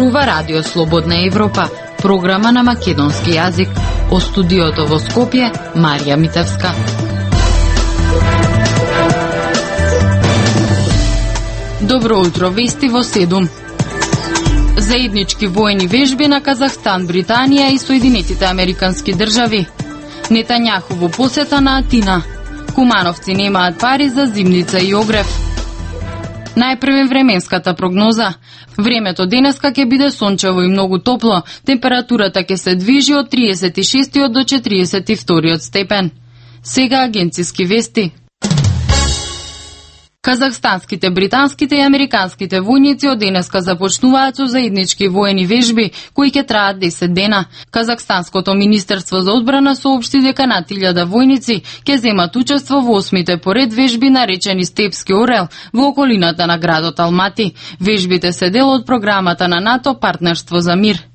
зборува Радио Слободна Европа, програма на македонски јазик. О студиото во Скопје, Марија Митевска. Добро утро, вести во 7. Заеднички воени вежби на Казахстан, Британија и Соединетите Американски држави. Нетањаху во посета на Атина. Кумановци немаат пари за зимница и огрев. Најпрвен временската прогноза. Времето денеска ќе биде сончево и многу топло. Температурата ќе се движи од 36 до 42 степен. Сега агенциски вести. Казахстанските, британските и американските војници од денеска започнуваат со заеднички воени вежби, кои ќе траат 10 дена. Казахстанското министерство за одбрана соопшти дека над 1000 војници ќе земат учество во 8-те поред вежби наречени Степски орел во околината на градот Алмати. Вежбите се дел од програмата на НАТО Партнерство за мир.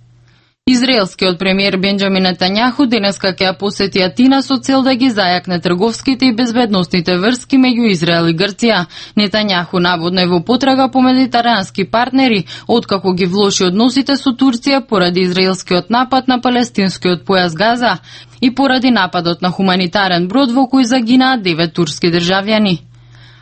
Израелскиот премиер Бенџамин Нетањаху денеска ќе ја посети Атина со цел да ги зајакне трговските и безбедносните врски меѓу Израел и Грција. Нетањаху наводно е во потрага по медитерански партнери, откако ги влоши односите со Турција поради израелскиот напад на палестинскиот појас Газа и поради нападот на хуманитарен брод во кој загинаа 9 турски државјани.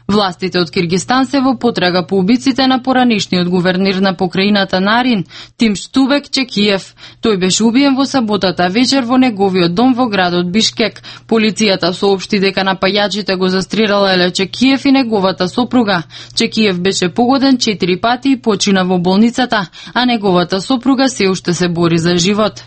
Властите од Киргистан се во потрага по убиците на поранишниот гувернер на покрајината Нарин, Тимштубек Чекиев. Тој беше убиен во саботата вечер во неговиот дом во градот Бишкек. Полицијата соопшти дека напајачите го застрелала Еле Чекиев и неговата сопруга. Чекиев беше погоден 4 пати и почина во болницата, а неговата сопруга се уште се бори за живот.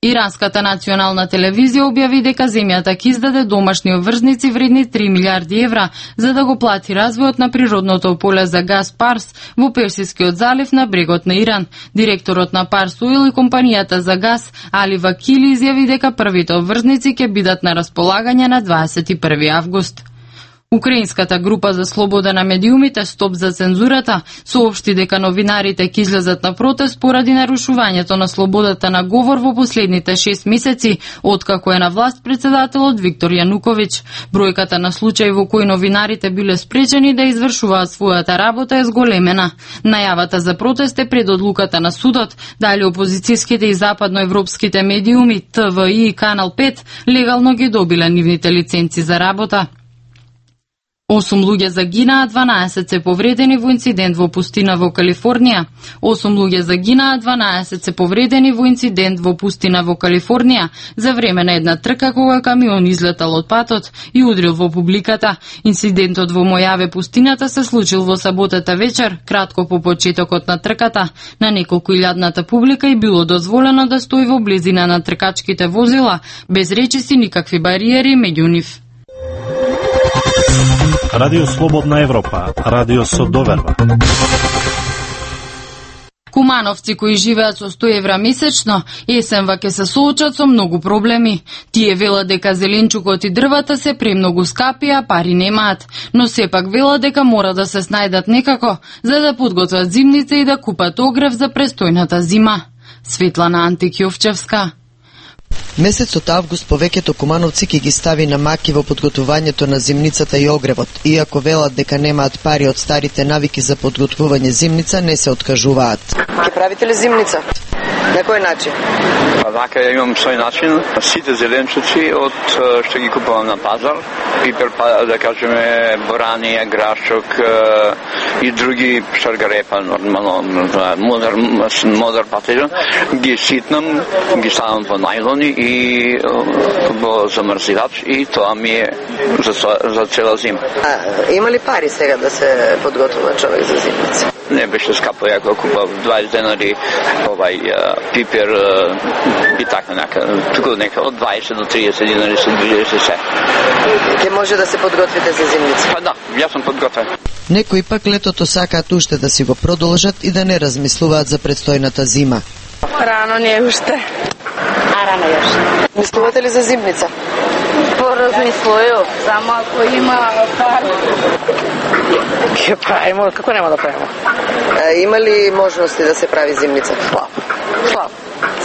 Иранската национална телевизија објави дека земјата ќе издаде домашни обврзници вредни 3 милиарди евра за да го плати развојот на природното поле за газ Парс во Персискиот залив на брегот на Иран. Директорот на Парс Оил и компанијата за газ Али Вакили изјави дека првите обврзници ќе бидат на располагање на 21 август. Украинската група за слобода на медиумите Стоп за цензурата соопшти дека новинарите ќе излезат на протест поради нарушувањето на слободата на говор во последните 6 месеци, откако е на власт председателот Виктор Јануковиќ. Бројката на случаи во кои новинарите биле спречени да извршуваат својата работа е зголемена. Најавата за протест е пред одлуката на судот, дали опозицијските и западноевропските медиуми ТВИ и Канал 5 легално ги добиле нивните лиценци за работа. 8 луѓе загинаа, 12 се повредени во инцидент во пустина во Калифорнија. 8 луѓе загинаа, 12 се повредени во инцидент во пустина во Калифорнија за време на една трка кога камион излетал од патот и удрил во публиката. Инцидентот во Мојаве пустината се случил во саботата вечер, кратко по почетокот на трката. На неколку илјадната публика и било дозволено да стои во близина на тркачките возила, без речиси никакви бариери меѓу нив. Радио Слободна Европа, радио со доверба. Кумановци кои живеат со 100 евра месечно, есенва ќе се соочат со многу проблеми. Тие велат дека зеленчукот и дрвата се премногу скапи, а пари немаат. Но сепак велат дека мора да се снајдат некако, за да подготват зимница и да купат огрев за престојната зима. Светлана Антикјовчевска. Месецот август повеќето кумановци ќе ги стави на маки во подготвувањето на зимницата и огревот. Иако велат дека немаат пари од старите навики за подготвување зимница, не се откажуваат. Ќе правите ли зимница? На кој начин? Вака имам свој начин. Сите зеленчуци од што ги купувам на пазар, пипер, да кажеме, борани, грашок и други шаргарепа, нормално, модер патеџан, ги ситнам, ги ставам во најлони и во замрзивач и тоа ми е за цела зима. Има ли пари сега да се подготвува човек за зимница? Не беше скапо, ја го купав 20 денари пипер и така нека од 20 до 30 денари се движеше се. Ке може да се подготвите за зимница? Па да, јас сум подготвен. Некои пак летото сакаат уште да си го продолжат и да не размислуваат за предстојната зима. Рано не уште. Рано јаш. Мислувате ли за зимница? Поразмислував, само ако има пари. Ќе правимо, како нема да правимо? Има ли можности да се прави зимница? Слабо.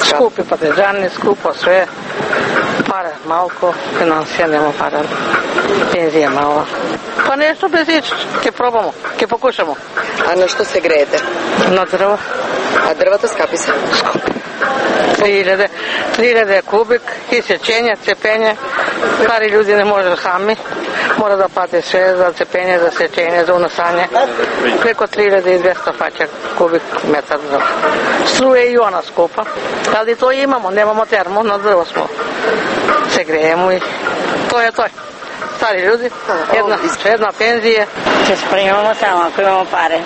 Скупи патеџани, скупо све. Пара малко, финансија нема пара. Пензија мала. Па нешто без ич, ќе пробамо, ќе покушамо. А на што се греете? На дрва. А дрвата скапи се? 3000 кубик, и сечење, цепење. Кари луѓе не може сами. Мора да плати се за цепење, за сечење, за унасање. Преко 3200 фаќа кубик метар дрво. Струја и она скопа. Али тоа имамо, немамо термо, на дрво смо. Се греемо и тоа е тој. Стари луѓе, една пензија. Се спремамо само ако имамо пари.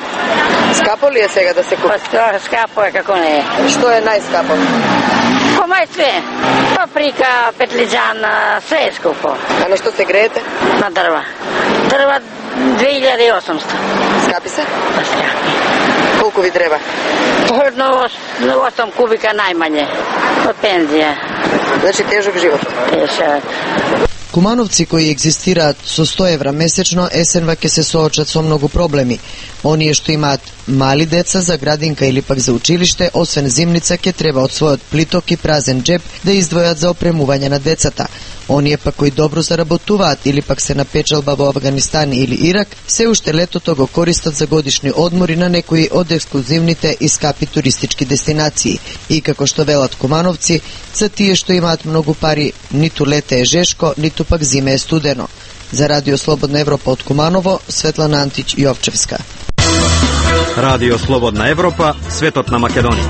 Скапо ли е сега да се купи? Па скапо е како не е. Што е најскапо? Кома е све. Паприка, петлиџан, све е скупо. А на што се греете? На дрва. Дрва 2800. Скапи се? Па скапи. Колку ви треба? Едно 8 кубика најмање. Од пензија. Значи тежок живот. Тежок. Кумановци кои екзистираат со 100 евра месечно есенва ќе се соочат со многу проблеми. Оние што имаат мали деца за градинка или пак за училиште, освен зимница, ќе треба од својот плиток и празен джеб да издвојат за опремување на децата. Оние пак кои добро заработуваат или пак се на печалба во Авганистан или Ирак, се уште летото го користат за годишни одмори на некои од ексклузивните и скапи туристички дестинации. И како што велат кумановци, за тие што имаат многу пари, ниту лете е жешко, ниту пак зиме е студено. За Радио Слободна Европа од Куманово, Светлана Антич Јовчевска. Радио Слободна Европа, светот на Македонија.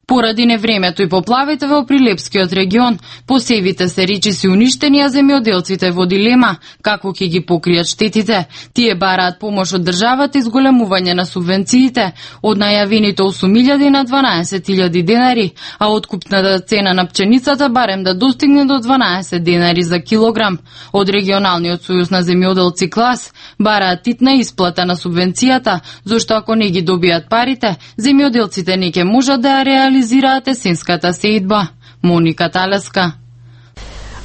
Поради невремето и поплавите во Прилепскиот регион, посевите се речиси уништени, а земјоделците во дилема како ќе ги покријат штетите. Тие бараат помош од државата и зголемување на субвенциите од најавените 8.000 на 12.000 денари, а откупната цена на пченицата барем да достигне до 12 денари за килограм. Од регионалниот сојуз на земјоделци Клас бараат титна исплата на субвенцијата, зашто ако не ги добијат парите, земјоделците не ќе можат да ја реализираат есенската сеидба. Моника Талеска.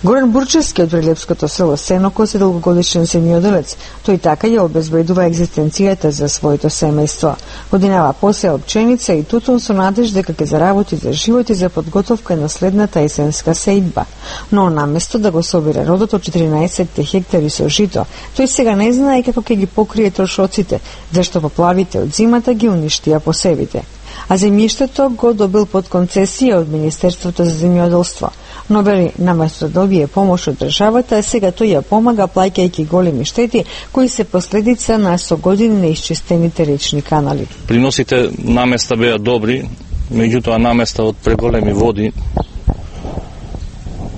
Горан Бурчевски од прилепското село Сенокос е долгогодишен земјоделец. Тој така ја обезбедува екзистенцијата за своето семејство. Годинава посеа пченица и тутун со надеж дека ќе заработи за живот и за подготовка на следната есенска сеидба. Но наместо да го собира родот од 14 хектари со жито, тој сега не знае како ќе ги покрие трошоците, зашто поплавите од зимата ги уништија посевите. А земјиштето го добил под концесија од Министерството за земјоделство. Но вели, наместо да добие помош од државата, сега тој ја помага плаќајќи големи штети кои се последица на со години неисчистените речни канали. Приносите наместа беа добри, меѓутоа наместа од преголеми води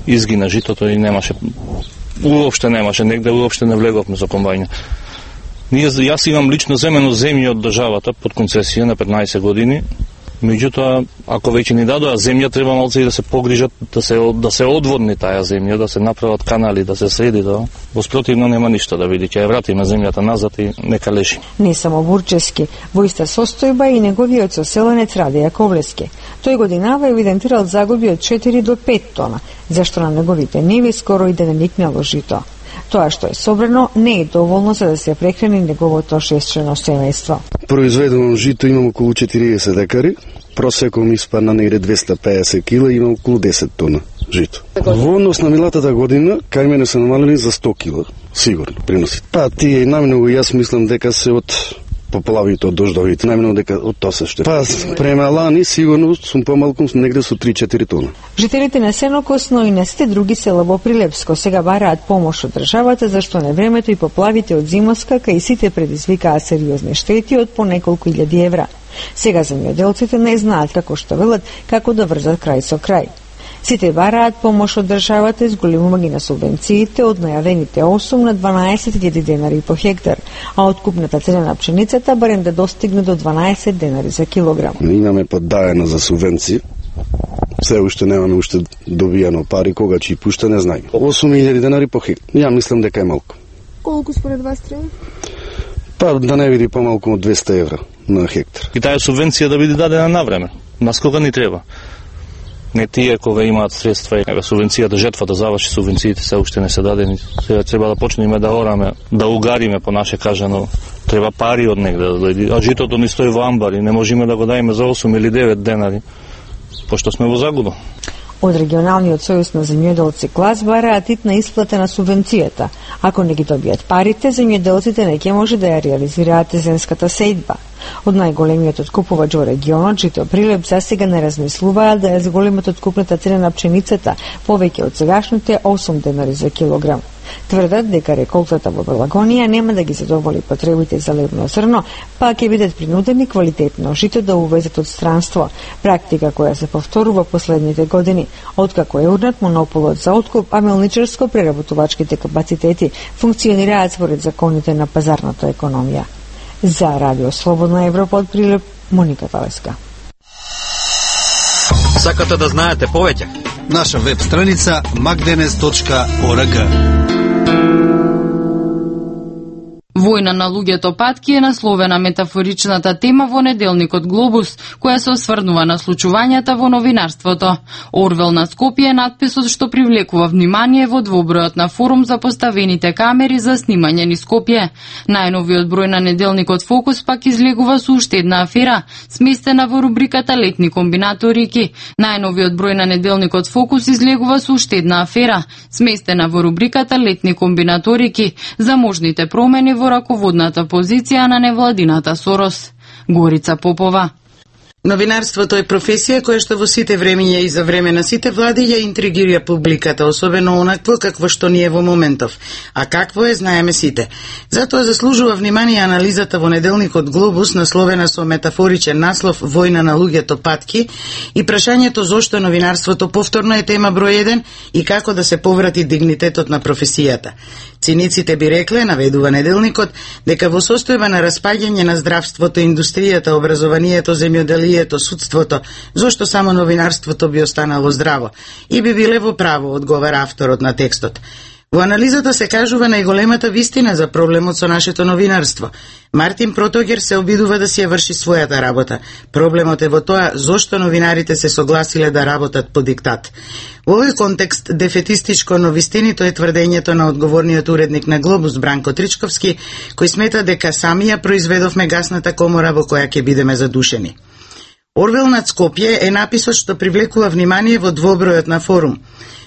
изгина житото и уопште немаше, негде уопште не влеговме за комбајна. Јас имам лично земено земја од државата под концесија на 15 години. Меѓутоа, ако веќе ни дадоа земја, треба малце и да се погрижат, да се одводни таа земја, да се направат канали, да се среди тоа. Во спротивно нема ништо да види, ќе ја вратиме земјата назад и нека лежи. Не само Бурчевски, во иста состојба и неговиот соселенец Раде Јаковлевски. Тој годинава евидентирал загуби од 4 до 5 тона, зашто на неговите ниви скоро и да не никнало жито. Тоа што е собрано не е доволно за да се прехрани неговото шесчлено семејство. Произведено жито имам околу 40 декари, просеком испадна негде 250 кила и имам околу 10 тона жито. Во однос на милатата година, кај мене се намалени за 100 кила, сигурно приносите. Па тие и најмногу јас мислам дека се од поплавите, од дождовите, најмногу дека од тоа се што. Па према лани сигурно сум помалку негде со 3-4 тона. Жителите на Сенокос, но и на сите други села во Прилепско сега бараат помош од државата, зашто невремето и поплавите од зимоска кај сите предизвикаа сериозни штети од по неколку илјади евра. Сега земјоделците не знаат како што велат како да врзат крај со крај. Сите бараат помош од државата и зголемување на субвенциите од најавените 8 на 12.000 денари по хектар, а откупната цена на пшеницата барем да достигне до 12 денари за килограм. Имаме поддаено за субвенции. Се уште немаме уште добијано пари, кога ќе пушта не знаеме. 8.000 денари по хектар. Ја мислам дека е малку. Колку според вас треба? Па да не биде помалку од 200 евра на хектар. И таа субвенција да биде дадена на време. Нас кога ни треба? Не тие кога имаат средства и субвенцијата жетва да заврши, субвенциите се уште не се дадени. Сега треба да почнеме да ораме, да угариме по наше кажано. Треба пари од негде да дојде. А житото ни стои во амбари, не можеме да го дајме за 8 или 9 денари, пошто сме во загуба. Од регионалниот сојуз на земјоделци Клас бараат титна исплата на субвенцијата. Ако не ги добијат парите, земјоделците не ќе може да ја реализираат есенската сеидба. Од најголемиот откупувач во регионот, Жито Прилеп, засега не размислуваат да ја зголемат откупната цена на пшеницата повеќе од сегашните 8 денари за килограм. Тврдат дека реколтата во Белагонија нема да ги задоволи потребите за лебно зрно, па ќе бидат принудени квалитетно жито да увезат од странство, практика која се повторува последните години, откако е урнат монополот за откуп, а мелничарско-преработувачките капацитети функционираат според законите на пазарната економија. За Радио Слободна Европа од Прилеп, Моника Талеска. Сакате да знаете повеќе? Наша веб страница magdenes.org. Војна на луѓето патки е насловена метафоричната тема во неделникот Глобус, која се осврнува на случувањата во новинарството. Орвел на Скопје е надписот што привлекува внимание во двобројот на форум за поставените камери за снимање низ Скопје. Најновиот број на неделникот Фокус пак излегува со уште една афера, сместена во рубриката Летни комбинаторики. Најновиот број на неделникот Фокус излегува со уште една афера, сместена во рубриката Летни комбинаторики, за можните промени во раководната позиција на невладината Сорос. Горица Попова. Новинарството е професија која што во сите времиња и за време на сите влади ја интригира публиката, особено онакво какво што ни е во моментов. А какво е, знаеме сите. Затоа заслужува внимание анализата во неделникот Глобус, насловена со метафоричен наслов Војна на луѓето патки, и прашањето зошто новинарството повторно е тема број 1 и како да се поврати дигнитетот на професијата. Циниците би рекле, наведува неделникот, дека во состојба на распаѓање на здравството, индустријата, образованието, земјоделието, судството, зошто само новинарството би останало здраво? И би биле во право, одговара авторот на текстот. Во анализата се кажува најголемата вистина за проблемот со нашето новинарство. Мартин Протогер се обидува да си ја врши својата работа. Проблемот е во тоа зошто новинарите се согласиле да работат по диктат. Во овој контекст дефетистичко, но вистинито е тврдењето на одговорниот уредник на Глобус Бранко Тричковски, кој смета дека сами ја произведовме гасната комора во која ќе бидеме задушени. Орвел над Скопје е написот што привлекува внимание во двобројот на форум.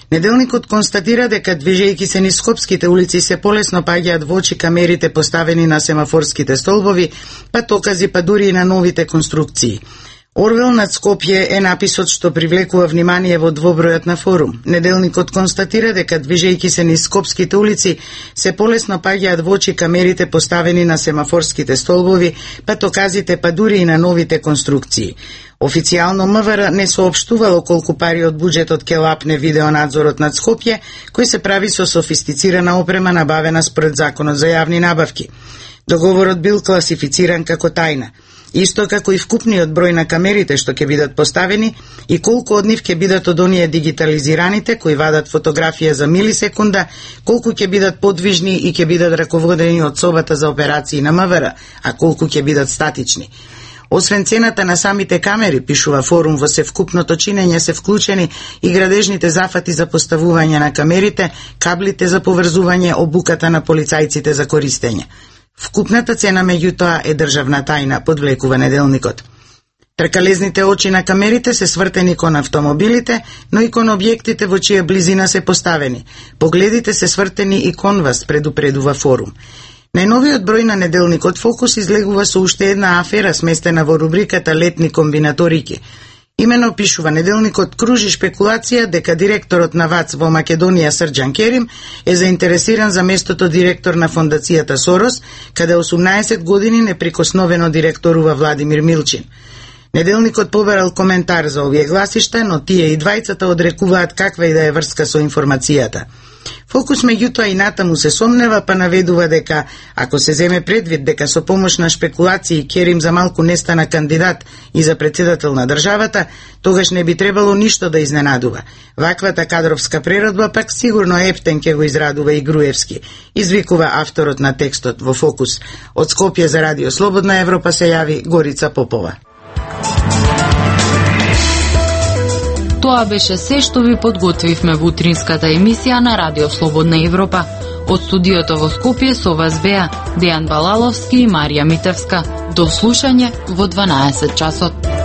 Неделникот констатира дека движејќи се низ скопските улици се полесно паѓаат во очи камерите поставени на семафорските столбови, патокази, па дури и на новите конструкции. Орвел над Скопје е написот што привлекува внимание во двобројот на форум. Неделникот констатира дека движејќи се низ скопските улици се полесно паѓаат во очи камерите поставени на семафорските столбови, патоказите, па дури и на новите конструкции. Официјално МВР не соопштувало колку пари од буџетот ќе лапне видеонадзорот над Скопје, кој се прави со софистицирана опрема набавена според Законот за јавни набавки. Договорот бил класифициран како тајна. Исто како и вкупниот број на камерите што ќе бидат поставени и колку од нив ќе бидат од оние дигитализираните кои вадат фотографија за милисекунда, колку ќе бидат подвижни и ќе бидат раководени од собата за операции на МВР, а колку ќе бидат статични. Освен цената на самите камери, пишува форум, во севкупното чинење се вклучени и градежните зафати за поставување на камерите, каблите за поврзување, обуката на полицајците за користење. Вкупната цена меѓутоа е државна тајна, подвлекува неделникот. Тркалезните очи на камерите се свртени кон автомобилите, но и кон објектите во чија близина се поставени. Погледите се свртени и кон вас, предупредува форум. Најновиот број на неделникот Фокус излегува со уште една афера сместена во рубриката Летни комбинаторики. Имено, пишува неделникот, кружи шпекулација дека директорот на ВАЦ во Македонија Срџан Керим е заинтересиран за местото директор на фондацијата Сорос, каде 18 години неприкосновено директорува Владимир Милчин. Неделникот побарал коментар за овие гласишта, но тие и двајцата одрекуваат каква и да е врска со информацијата. Фокус меѓутоа и натаму се сомнева, па наведува дека, ако се земе предвид дека со помош на шпекулации Керим за малку не стана кандидат и за председател на државата, тогаш не би требало ништо да изненадува. Ваквата кадровска преродба пак сигурно ептен ќе го израдува и Груевски, извикува авторот на текстот во Фокус. Од Скопје за Радио Слободна Европа се јави Горица Попова. Тоа беше се што ви подготвивме во утринската емисија на Радио Слободна Европа. Од студиото во Скопје со вас беа Дејан Балаловски и Марија Митевска. До слушање во 12 часот.